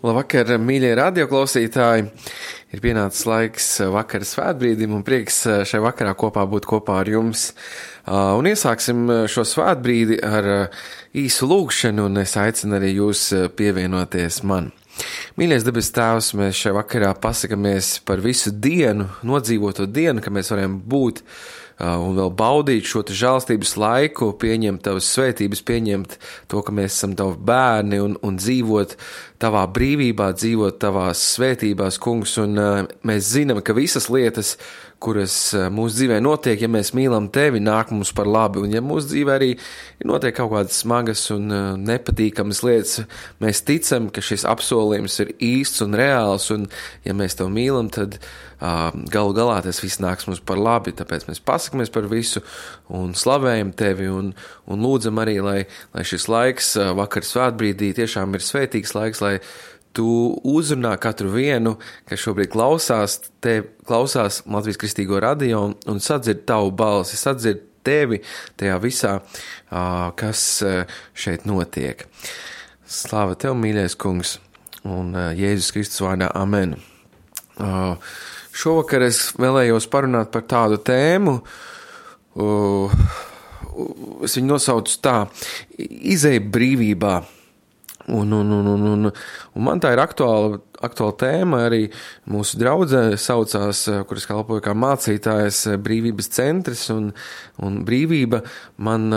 Labvakar, mīļie radioklausītāji! Ir pienācis laiks vakara svētbrīdim un prieks šai vakarā būt kopā ar jums. Un iesāksim šo svētbrīdi ar īsu lūgšanu, un es aicinu arī jūs pievienoties man. Mīļais debes Tēvs, mēs šai vakarā pasakamies par visu dienu, nodzīvoto dienu, ka mēs varam būt un vēl baudīt šo žēlstības laiku, pieņemt tavas svētības, pieņemt to, ka mēs esam tavi bērni un dzīvot tavā brīvībā, dzīvot tavās svētībās, kungs, un mēs zinām, ka visas lietas, kuras mūsu dzīvē notiek, ja mēs mīlam tevi, nāk mums par labi, un ja mūsu dzīvē arī notiek kaut kādas smagas un nepatīkamas lietas, mēs ticam, ka šis apsolījums ir īsts un reāls, un ja mēs tev mīlam, tad galu galā tas viss nāks mums par labi, tāpēc mēs pasakamies par visu un slavējam tevi un lūdzam arī, lai šis laiks vakar svētbrīdī tiešām ir svētīgs laiks, lai tu uzrunā katru vienu, kas šobrīd klausās Latvijas Kristīgo radio un sadzird tavu balsi, sadzird tevi tajā visā, kas šeit notiek. Slāva tev, mīļais kungs, un Jēzus Kristus vārdā, amen. Šovakar es vēlējos parunāt par tādu tēmu, es viņu nosaucu tā, izej brīvībā. Un man tā ir aktuāla tēma, arī mūsu draudzē saucās, kuras kalpoju kā mācītājas, brīvības centrs, un brīvība man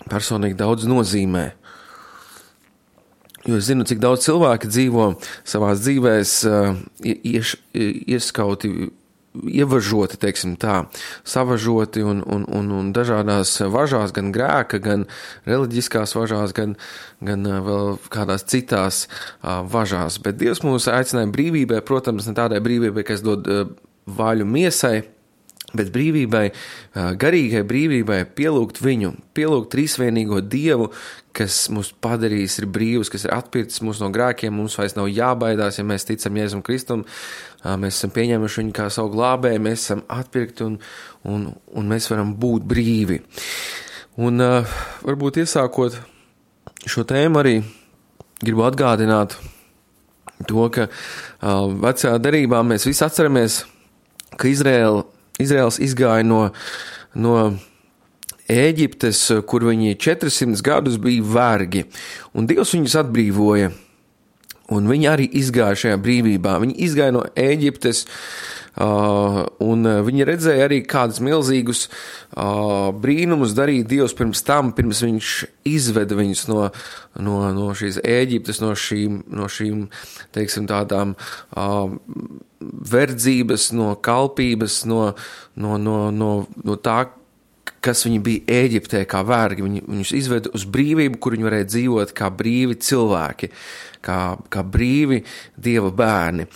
personīgi daudz nozīmē. Jo es zinu, cik daudz cilvēki dzīvo savās dzīvēs ieskauti, ievažoti, teiksim tā, savažoti un dažādās važās, gan grēka, gan reliģiskās važās, gan vēl kādās citās važās. Bet Dievs mūs aicināja brīvībai, protams, ne tādai brīvībai, kas dod vaļu miesai, bet brīvībai, garīgai brīvībai pielūgt viņu, pielūgt trīsvienīgo Dievu, kas mūs padarījis ir brīvs, kas ir atpircis mūs no grēkiem, mums vairs nav jābaidās, ja mēs ticam Jēzum Kristum, mēs esam pieņēmuši viņu kā savu glābēju, mēs esam atpirkti un mēs varam būt brīvi. Un varbūt iesākot šo tēmu arī gribu atgādināt to, ka vecajā derībā mēs visi atceramies, ka Izraels izgāja no Ēģiptes, kur viņi 400 gadus bija vergi, un Dievs viņus atbrīvoja, un viņi arī izgāja šajā brīvībā. Viņi izgāja no Ēģiptes, un viņi redzēja arī kādus milzīgus brīnumus darīt Dievs pirms viņš izveda viņus no šīs Ēģiptes, no šīm teiksim, tādām verdzības, no kalpības, no tā, kas viņi bija Ēģiptē kā vergi. Viņus izveda uz brīvību, kur viņi varēja dzīvot kā brīvi cilvēki, kā brīvi Dieva bērni.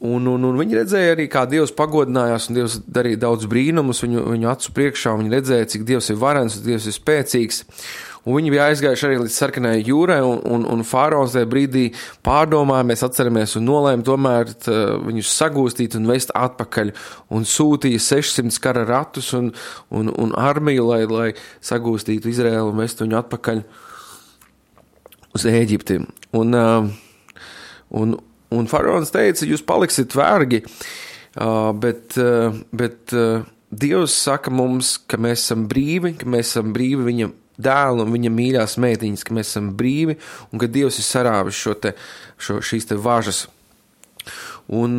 Un viņi redzēja arī, kā Dievs pagodinājās, un Dievs darīja daudz brīnumus viņu acu priekšā, un viņi redzēja, cik Dievs ir varens, un Dievs ir spēcīgs. Un viņi bija aizgājuši arī līdz sarkanai jūrai, un faraons tajā brīdī pārdomāja, mēs atceramies un nolēma tomēr viņus sagūstīt un vest atpakaļ, un sūtīja 600 kara ratus un armiju, lai sagūstītu Izraēlu un vestu viņu atpakaļ uz Ēģipti. Un faraons teica, jūs paliksiet vergi, bet Dievs saka mums, ka mēs esam brīvi viņa dēlu un viņa mīļās meitiņas, ka mēs esam brīvi un ka Dievs ir sarāvis šīs važas. Un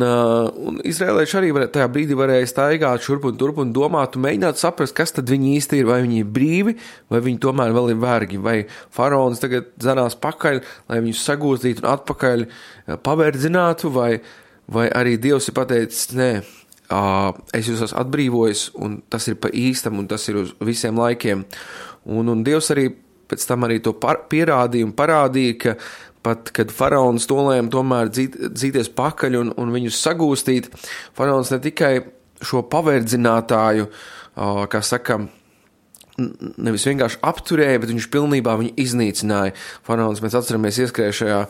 izrēlieši arī tajā brīdī varēja staigāt šurp un turp un domāt un mēģināt saprast, kas tad viņi īsti ir, vai viņi ir brīvi, vai viņi tomēr vēl ir vergi, vai faraons tagad zanās pakaļ, lai viņus sagūstītu un atpakaļ paverdzinātu, vai arī Dievs ir pateicis, nē, es jūs esmu atbrīvojis, un tas ir pa īstam, un tas ir uz visiem laikiem. Un Dievs arī pēc tam arī to pierādīja un parādīja, ka pat, kad faraons nolēma tomēr dzīties pakaļ un viņus sagūstīt, faraons ne tikai šo paverdzinātāju, kā saka, nevis vienkārši apturēja, bet viņš pilnībā viņu iznīcināja. Faraons, mēs atceramies, ieskrēja šajā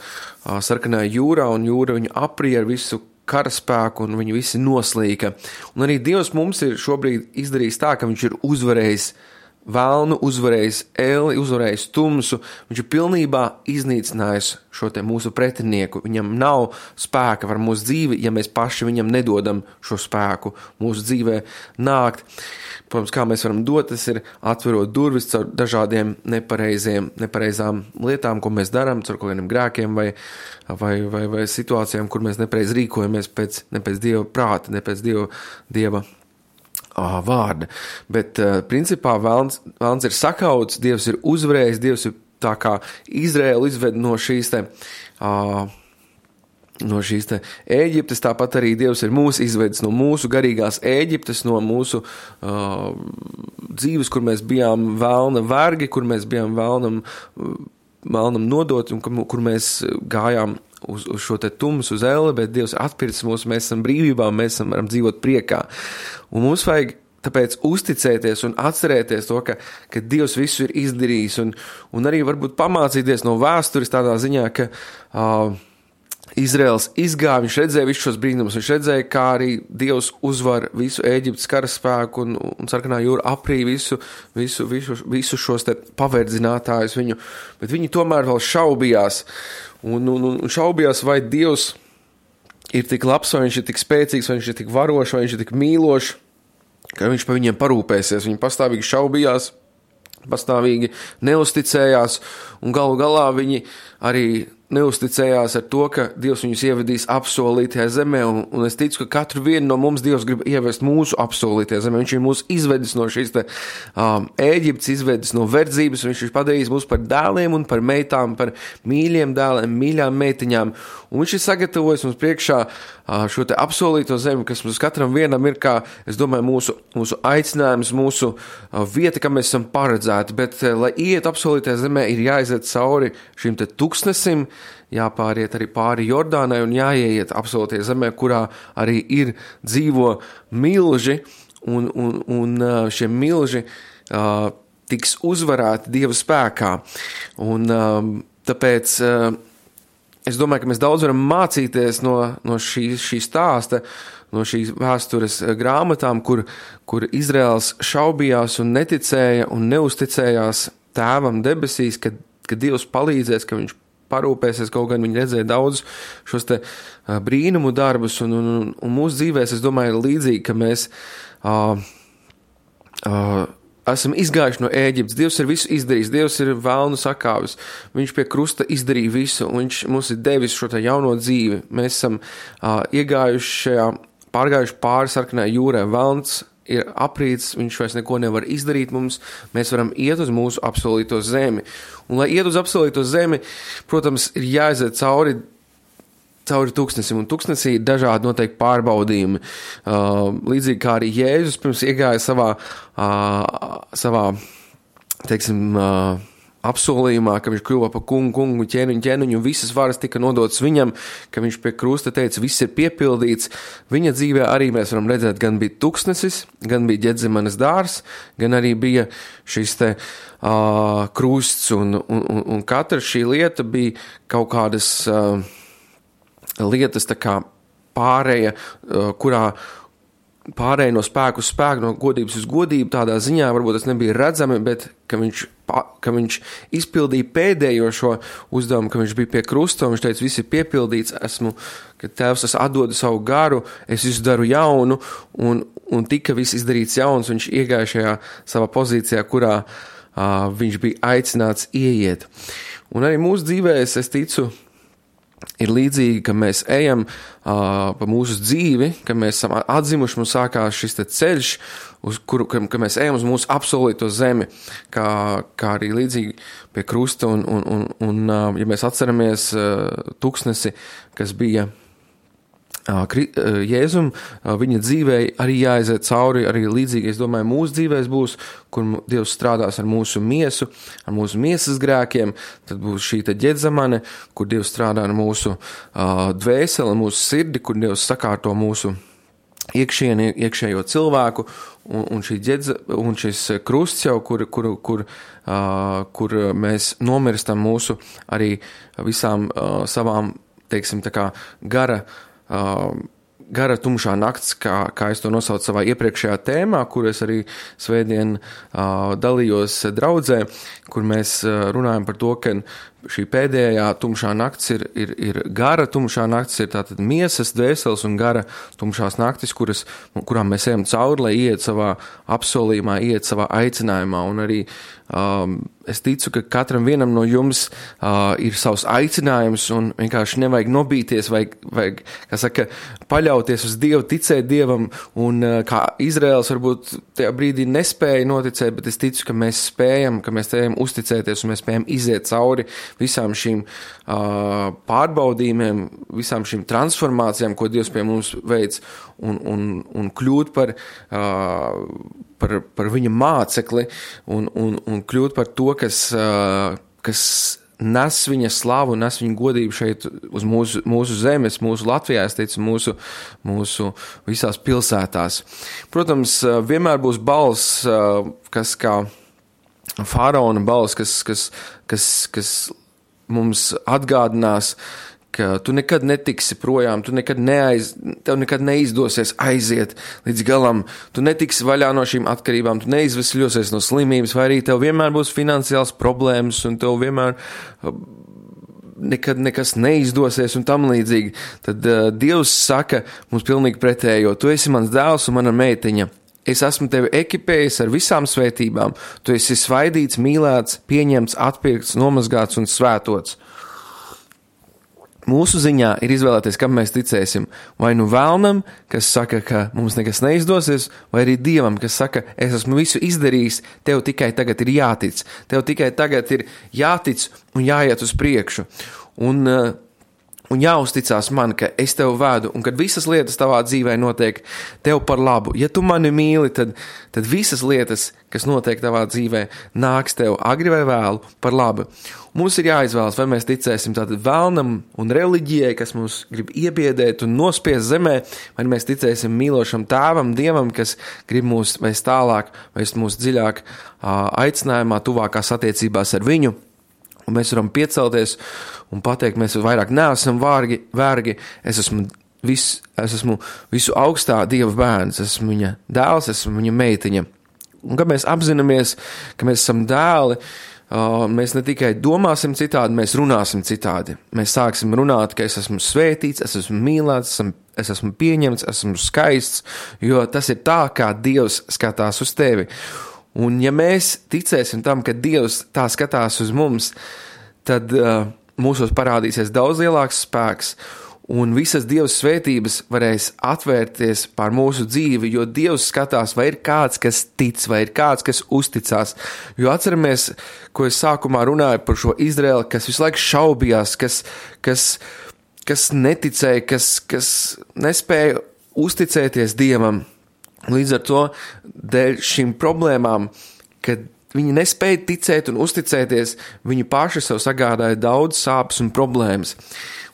sarkanajā jūrā, un jūra viņu aprija ar visu karaspēku, un viņi visi noslīka. Un arī Dievs mums ir šobrīd izdarījis tā, ka viņš ir uzvarējis velnu, uzvarējis elli, uzvarējis tumsu, viņš ir pilnībā iznīcinājis šo te mūsu pretinieku. Viņam nav spēka var mūsu dzīvi, ja mēs paši viņam nedodam šo spēku mūsu dzīvē nākt. Protams, kā mēs varam dot, tas ir atverot durvis caur dažādiem nepareizām lietām, ko mēs darām, caur kaut kādiem grēkiem vai situācijām, kur mēs nepareiz rīkojamies ne pēc Dieva prāta, ne pēc Dieva vārda. Bet principā velns ir sakauts, Dievs ir uzvarējis, Dievs ir tā kā Izraēlu izved no šīs Ēģiptes, tāpat arī Dievs ir mūs izvedis no mūsu garīgās Ēģiptes, no mūsu dzīves, kur mēs bijām velna vergi, kur mēs bijām velnam nodot un kur mēs gājām uz šo te tumsu, uz elli, bet Dievs atpircis mūs, mēs esam brīvībā, mēs varam dzīvot priekā. Un mums vajag tāpēc uzticēties un atcerēties to, ka Dievs visu ir izdarījis un arī varbūt pamācīties no vēstures tādā ziņā, ka Izraels izgāja, viņš redzēja visus šos brīnumus, viņš redzēja, kā arī Dievs uzvar visu Ēģiptes karaspēku un sarkanā jūra aprī visu šos te paverdzinātājus viņu, bet viņi tomēr vēl šaubījās un šaubījās, vai Dievs ir tik labs, vai viņš ir tik spēcīgs, vai viņš ir tik varošs, vai viņš ir tik mīlošs, ka viņš par viņiem parūpēsies. Viņi pastāvīgi šaubījās, pastāvīgi neusticējās un galu galā viņi arī neusticējās ar to, ka Dievs viņus ievedīs apsolītajā zemē, un es ticu, ka katru vienu no mums Dievs grib ievest mūsu apsolītajā zemē. Viņš ir mūs izvedis no šīs Ēģiptes, izvedis no verdzības, un viņš ir padarījis mūs par dēliem un par meitām, par mīļiem dēliem, mīļām meitiņām, un viņš ir sagatavojis mums priekšā šo te apsolīto zemi, kas mums katram vienam ir kā, es domāju, mūsu aicinājums, mūsu vieta, kam mēs esam paredzēti, bet, lai iet apsolītajā zemē, ir jāiziet cauri šim te tuksnesim, jāpāriet arī pāri Jordānai un jāieiet apsolītajā zemē, kurā arī dzīvo milži, un šie milži tiks uzvarēti Dieva spēkā. Un tāpēc es domāju, ka mēs daudz varam mācīties no šī stāsta, no šīs vēstures grāmatām, kur Izraels šaubījās un neticēja un neusticējās tēvam debesīs, ka Dievs palīdzēs, ka viņš parūpēsies, kaut gan viņi redzēja daudz šos te brīnumu darbus, un mūsu dzīvēs, es domāju, ir līdzīgi, ka mēs esam izgājuši no Ēģiptes. Dievs ir visu izdarījis, Dievs ir velnu sakāvis, viņš pie krusta izdarīja visu, un viņš mums ir devis šo te jauno dzīvi. Mēs esam pārgājuši pāri sarkanai jūrai, velns ir aprīts, viņš vairs neko nevar izdarīt mums, mēs varam iet uz mūsu apsolīto zemi. Un, lai iet uz apsolīto zemi, protams, ir jāiziet cauri tuksnesim, un tuksnesī ir dažādi noteikti pārbaudījumi. Līdzīgi kā arī Jēzus pirms iegāja savā teiksim, apsolījumā, ka viņš kļuva par kungu, ķēniņu, un visas varas tika nodotas viņam, ka viņš pie krusta teica, viss ir piepildīts. Viņa dzīvē arī mēs varam redzēt, gan bija tuksnesis, gan bija Ģedzemanes dārs, gan arī bija šis te krusts, un katra šī lieta bija kaut kādas lietas tā kā pārēja, kurā pārēja no spēku uz spēku, no godības uz godību, tādā ziņā varbūt tas nebija redzami, bet ka viņš izpildīja pēdējo šo uzdevumu, ka viņš bija pie krusta, un viņš teica, viss ir piepildīts, ka Tēvs es atdodu savu garu, es visu daru jaunu, un tika viss izdarīts jauns, viņš iegāja šajā savā pozīcijā, kurā viņš bija aicināts ieiet. Un arī mūsu dzīvēs, es ticu, ir līdzīgi, ka mēs ejam pa mūsu dzīvi, ka mēs esam atzimuši, mums sākās šis te ceļš, ka mēs ejam uz mūsu apsolīto zemi, kā arī līdzīgi pie krusta, un ja mēs atceramies tuksnesi, kas bija Jēzum, viņa dzīvē arī jāaiziet cauri, arī līdzīgi, es domāju, mūsu dzīvēs būs, kur Dievs strādās ar mūsu miesu, ar mūsu miesas grēkiem, tad būs šī te Ģedzemane, kur Dievs strādā ar mūsu dvēseli, mūsu sirdi, kur Dievs sakārto mūsu iekšējo cilvēku, un šis krusts jau, kur mēs nomirstam mūsu arī visām savām, teiksim, tā kā gara tumšā nakts, kā es to nosaucu savā iepriekšējā tēmā, kur es arī svētdien dalījos draudzē, kur mēs runājam par to, ka šī pēdējā tumšā nakts ir gara tumšā nakts, ir tātad miesas, dvēseles un gara tumšās naktis, kurām mēs ejam cauri, lai iet savā apsolījumā, iet savā aicinājumā. Un arī es ticu, ka katram vienam no jums ir savs aicinājums un vienkārši nevajag nobīties, vajag, kā saka, paļauties uz Dievu, ticēt Dievam, un kā Izraels varbūt tajā brīdī nespēja noticēt, bet es ticu, ka mēs spējam uzticēties un mēs spējam iziet cauri visām šīm pārbaudījumiem, visām šīm transformācijām, ko Dievs pie mums veic, un kļūt par viņa mācekli un kļūt par to, kas nes viņa slavu, nes viņa godību šeit uz mūsu zemes, mūsu Latvijā, es teicu, mūsu visās pilsētās. Protams, vienmēr būs balss, kas kā faraona balss, kas mums atgādinās, ka tu nekad netiksi projām, tev nekad neizdosies aiziet līdz galam, tu netiksi vaļā no šīm atkarībām, tu neizvesļosies no slimības, vai arī tev vienmēr būs finansiāls problēmas, un tev vienmēr nekad nekas neizdosies un tam līdzīgi. Tad Dievs saka mums pilnīgi pretējo, tu esi mans dēls un mana meitiņa. Es esmu tevi ekipējis ar visām svētībām, tu esi svaidīts, mīlēts, pieņemts, atpirkts, nomazgāts un svētots. Mūsu ziņā ir izvēlēties, kam mēs ticēsim. Vai nu vēlnam, kas saka, ka mums nekas neizdosies, vai arī Dievam, kas saka, es esmu visu izdarījis, tev tikai tagad ir jātic. Tev tikai tagad ir jātic un jāiet uz priekšu. Un jāuzticās man, ka es tev vedu, un kad visas lietas tavā dzīvē notiek tev par labu. Ja tu mani mīli, tad visas lietas, kas notiek tavā dzīvē, nāks tev agri vai vēlu par labu. Mums ir jāizvēlas, vai mēs ticēsim tātad vēlnam un reliģijai, kas mums grib iebiedēt un nospiest zemē, vai mēs ticēsim mīlošam tēvam, Dievam, kas grib mūs vēst tālāk, vēst mūs dziļāk aicinājumā, tuvākās attiecībās ar viņu. Un mēs varam piecelties un pateikt, mēs vairāk neesam vergi, es esmu visu augstā Dieva bērns, esmu viņa dēls, esmu viņa meitiņa. Un kad mēs apzināmies, ka mēs esam dēli, mēs ne tikai domāsim citādi, mēs runāsim citādi. Mēs sāksim runāt, ka es esmu svētīts, es esmu mīlēts, es esmu pieņemts, esmu skaists, jo tas ir tā, kā Dievs skatās uz tevi. Un ja mēs ticēsim tam, ka Dievs tā skatās uz mums, tad mūsos parādīsies daudz lielāks spēks, un visas Dieva svētības varēs atvērties pār mūsu dzīvi, jo Dievs skatās, vai ir kāds, kas tic, vai ir kāds, kas uzticās. Jo atceramies, ko es sākumā runāju par šo Izraeli, kas visu laiku šaubījās, kas neticēja, kas nespēja uzticēties Dievam. Līdz ar to, dēļ šīm problēmām, kad viņi nespēja ticēt un uzticēties, viņi paši sev sagādāja daudz sāpes un problēmas.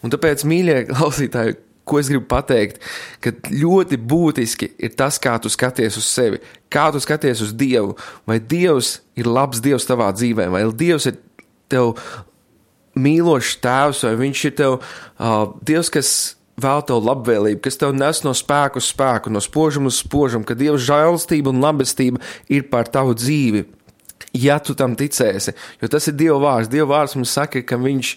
Un tāpēc, mīļie klausītāji, ko es gribu pateikt, ka ļoti būtiski ir tas, kā tu skaties uz sevi, kā tu skaties uz Dievu, vai Dievs ir labs Dievs tavā dzīvē, vai Dievs ir tev mīlošs tēvs, vai viņš ir tev Dievs, kas vēl tev labvēlību, kas tev nes no spēku uz spēku, no spožuma uz spožumu, ka Dieva žēlastība un labestība ir pār tavu dzīvi, ja tu tam ticēsi, jo tas ir Dieva vārds. Dieva vārds mums saka, ka viņš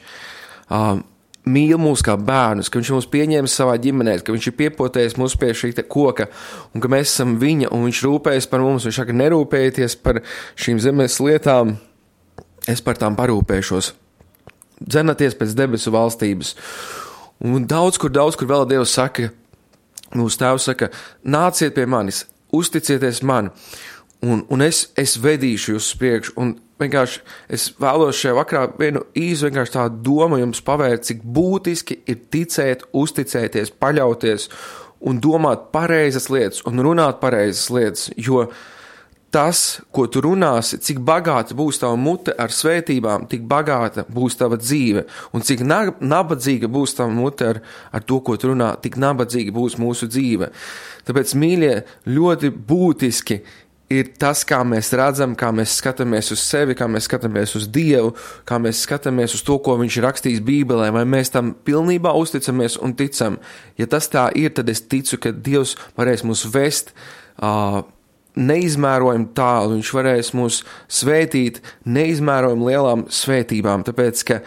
mīl mūs kā bērnus, ka viņš mūs pieņēmis savā ģimenē, ka viņš ir piepotējis mūs pie šī koka, un ka mēs esam viņa, un viņš rūpējas par mums, viņš saka, nerūpējieties par šīm zemes lietām, es par tām parūpēšos. Dzenaties pēc debesu valstības. Un daudz kur vēl Dievs saka, mūsu tēvs saka, nāciet pie manis, uzticieties man, un es vedīšu jūs uz priekšu, un vienkārši es vēlos šajā vakarā vienu īsu vienkārši tādu domu jums pavērt, cik būtiski ir ticēt, uzticēties, paļauties un domāt pareizas lietas un runāt pareizas lietas, jo tas, ko tu runāsi, cik bagāta būs tava mute ar svētībām, tik bagāta būs tava dzīve. Un cik nabadzīga būs tava mute ar to, ko tu runā, tik nabadzīga būs mūsu dzīve. Tāpēc, mīļie, ļoti būtiski ir tas, kā mēs redzam, kā mēs skatāmies uz sevi, kā mēs skatāmies uz Dievu, kā mēs skatāmies uz to, ko viņš ir rakstījis Bībelē, vai mēs tam pilnībā uzticamies un ticam. Ja tas tā ir, tad es ticu, ka Dievs varēs mūs vest neizmērojami tālu, viņš varēs mūs svētīt neizmērojami lielām svētībām, tāpēc, ka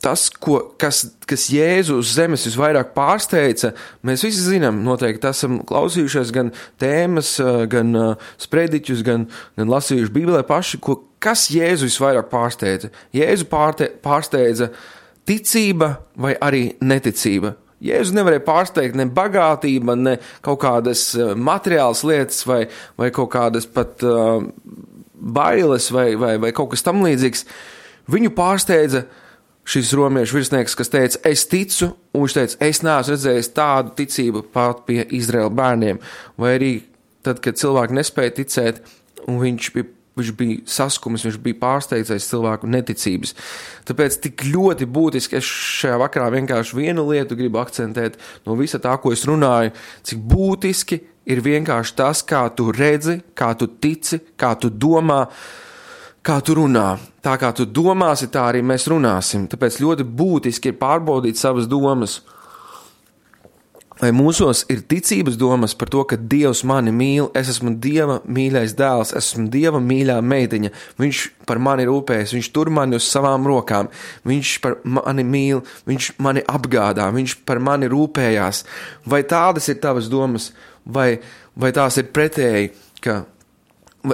tas, kas Jēzu uz zemes visvairāk pārsteidza, mēs visi zinām, noteikti esam klausījušies gan tēmas, gan sprediķus, gan lasījuši Bībelē paši, kas Jēzu visvairāk pārsteidza. Jēzu pārsteidza ticība vai arī neticība. Jēzu nevarēja pārsteigt ne bagātība, ne kaut kādas materiālas lietas vai kaut kādas pat bailes vai kaut kas tam līdzīgs. Viņu pārsteidza šis romiešu virsnieks, kas teica, es ticu, un viņš teica, es neesmu redzējis tādu ticību pat pie Izraēla bērniem, vai arī tad, kad cilvēki nespēja ticēt, un viņš bija saskumis, viņš bija pārsteigts cilvēku neticības. Tāpēc tik ļoti būtiski, es šajā vakarā vienkārši vienu lietu gribu akcentēt no visa tā, ko es runāju, cik būtiski ir vienkārši tas, kā tu redzi, kā tu tici, kā tu domā, kā tu runā. Tā kā tu domāsi, tā arī mēs runāsim. Tāpēc ļoti būtiski ir pārbaudīt savas domas. Vai mūsos ir ticības domas par to, ka Dievs mani mīl, es esmu Dieva mīļais dēls, esmu Dieva mīļā meitiņa, viņš par mani rūpējas, viņš tur mani uz savām rokām, viņš par mani mīl, viņš mani apgādā, viņš par mani rūpējās. Vai tādas ir tavas domas, vai tās ir pretēji, ka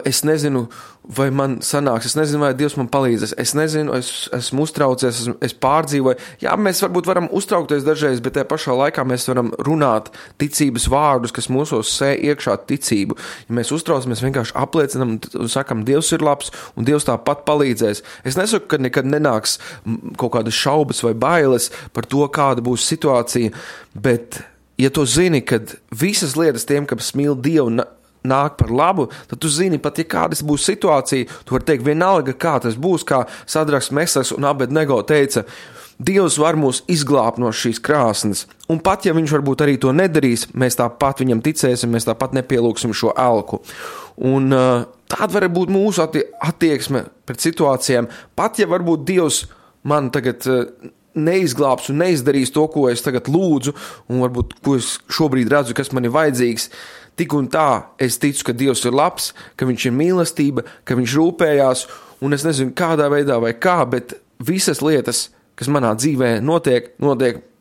es nezinu, vai man sanāks, es nezinu, vai Dievs man palīdzēs, es nezinu, esmu uztraucies, es pārdzīvoju. Jā, mēs varbūt varam uztraukties dažreiz, bet tajā pašā laikā mēs varam runāt ticības vārdus, kas mūsos sēj iekšā ticību. Ja mēs uztraucamies, vienkārši apliecinam un sakam, Dievs ir labs un Dievs tāpat palīdzēs. Es nesaku, ka nekad nenāks kaut kādas šaubas vai bailes par to, kāda būs situācija, bet ja tu zini, kad visas lietas tiem, kas mīl Dievu, nāk par labu, tad tu zini, pat ja kādas būs situācija, tu vari teikt vienalga, kā tas būs, kā Sadraks, Mesaks un Abednego teica, Dievs var mūs izglābt no šīs krāsnes, un pat ja viņš varbūt arī to nedarīs, mēs tāpat viņam ticēsim, mēs tāpat nepielūksim šo elku. Un tāda var būt mūsu attieksme pret situācijām, pat ja varbūt Dievs man tagad neizglābs un neizdarīs to, ko es tagad lūdzu, un varbūt, ko es šobrīd redzu, kas man ir vajadzīgs, tik un tā es ticu, ka Dievs ir labs, ka viņš ir mīlestība, ka viņš rūpējās, un es nezinu kādā veidā vai kā, bet visas lietas, kas manā dzīvē notiek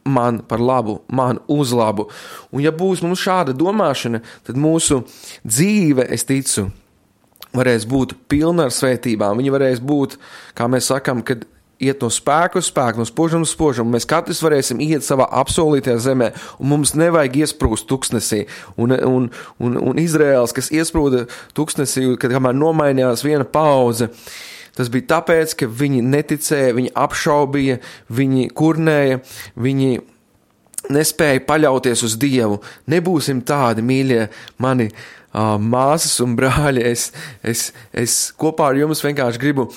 man par labu, man uz labu. Un ja būs mums šāda domāšana, tad mūsu dzīve, es ticu, varēs būt pilna ar svētībām. Viņa varēs būt, kā mēs sakam, kad iet no spēka uz spēku, no spožuma uz spožumu. Mēs katrs varēsim iet savā apsolītajā zemē, un mums nevajag iesprūst tuksnesī. Un Izraēls, kas iesprūda tuksnesī, kad kamēr nomainījās viena paudze, tas bija tāpēc, ka viņi neticēja, viņi apšaubīja, viņi kurnēja, viņi nespēja paļauties uz Dievu. Nebūsim tādi, mīļie mani māsas un brāļi. Es kopā ar jums vienkārši gribu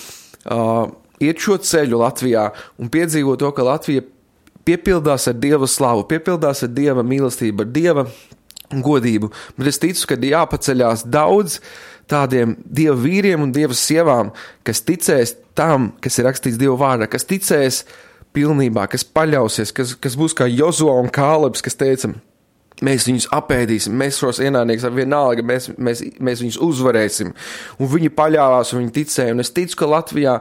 iet šo ceļu Latvijā un piedzīvot to, ka Latvija piepildās ar Dieva slavu, piepildās ar Dieva mīlestību, ar Dieva godību. Bet es ticu, ka jāpaceļās daudz tādiem Dieva vīriem un Dieva sievām, kas ticēs tam, kas ir rakstīts Dieva vārdā, kas ticēs pilnībā, kas paļausies, kas būs kā Jozua un Kālebs, kas teica, mēs viņus apēdīsim, mēs šos ienaidniekus ar vienalga, mēs viņus uzvarēsim. Un viņi paļāvās un viņi ticēja. Un es ticu, ka Latvijā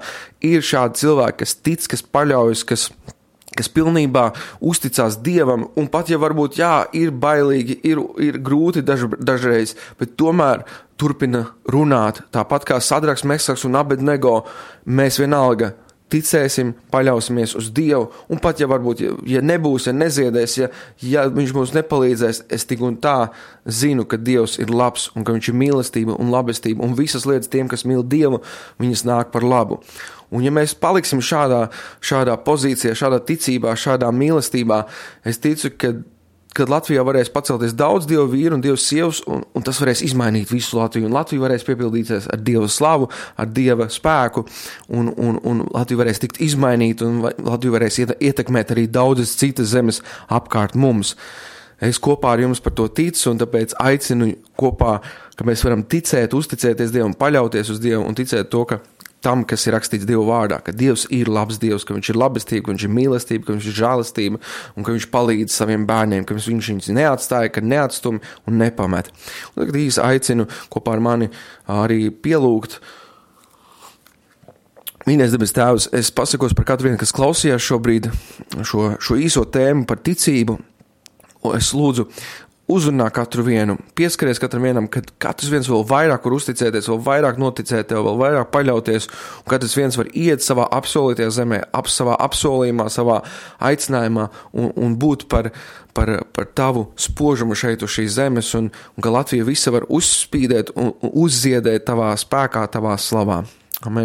ir šādi cilvēki, kas tic, kas paļaujas, kas pilnībā uzticās Dievam. Un pat ja varbūt, ir bailīgi, ir grūti dažreiz, bet tomēr turpina runāt. Tāpat kā Sadraks, Mesaks un Abednego, mēs vienalga ticēsim, paļausimies uz Dievu, un pat ja varbūt, ja nebūs, ja neziedēs, ja viņš mums nepalīdzēs, es tik un tā zinu, ka Dievs ir labs, un ka viņš ir mīlestība un labestība, un visas lietas tiem, kas mīl Dievu, viņas nāk par labu. Un ja mēs paliksim šādā pozīcijā, šādā ticībā, šādā mīlestībā, es ticu, kad Latvijā varēs pacelties daudz Dieva vīru un Dieva sievas, un tas varēs izmainīt visu Latviju, un Latvija varēs piepildīties ar Dieva slavu, ar Dieva spēku, un Latvija varēs tikt izmainīt, un Latvija varēs ietekmēt arī daudzas citas zemes apkārt mums. Es kopā ar jums par to ticu, un tāpēc aicinu kopā ka mēs varam ticēt, uzticēties Dievam, paļauties uz Dievu un ticēt to, ka tam, kas ir rakstīts Dieva vārdā, ka Dievs ir labs Dievs, ka viņš ir labestība, ka viņš ir mīlestība, ka viņš ir žēlastība un ka viņš palīdz saviem bērniem, ka viņš viņus neatstāja, ka neatstumi un nepamet. Un tagad īsi aicinu kopā ar mani arī pielūgt. Mīļais debes Tēvs, es pasakos par katru vienu, kas klausījās šobrīd šo īso tēmu par ticību. Es lūdzu, uzrunā katru vienu, pieskaries katram vienam, kad katrs viens vēl vairāk var uzticēties, vēl vairāk noticēt tev, vēl vairāk paļauties, un katrs viens var iet savā apsolītajā zemē, savā apsolījumā, savā aicinājumā un būt par tavu spožumu šeit uz šīs zemes, un ka Latvija visa var uzspīdēt un uzziedēt tavā spēkā, tavā slavā. Amen.